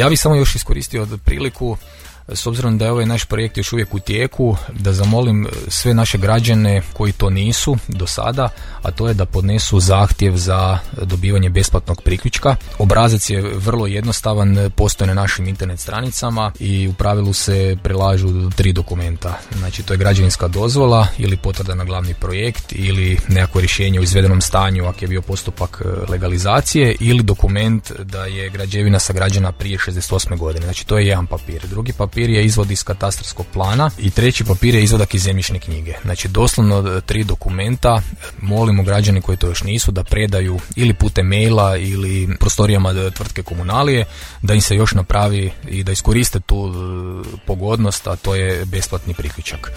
Ja bih samo još iskoristio priliku, s obzirom da je ovaj naš projekt još uvijek u tijeku, da zamolim sve naše građane koji to nisu do sada, a to je da podnesu zahtjev za dobivanje besplatnog priključka. Obrazac je vrlo jednostavan, postoji na našim internet stranicama i u pravilu se prilažu 3 dokumenta. Znači to je građevinska dozvola ili potvrda na glavni projekt ili nekako rješenje u izvedenom stanju ako je bio postupak legalizacije ili dokument da je građevina sagrađena prije 68. godine. Znači to je jedan papir. Drugi papir je izvod iz katastarskog plana i treći papir je izvadak iz zemljišne knjige. Znači doslovno 3 dokumenta. Molimo građane koji to još nisu da predaju ili putem maila ili prostorijama tvrtke Komunalije, da im se još napravi i da iskoriste tu pogodnost, a to je besplatni priključak.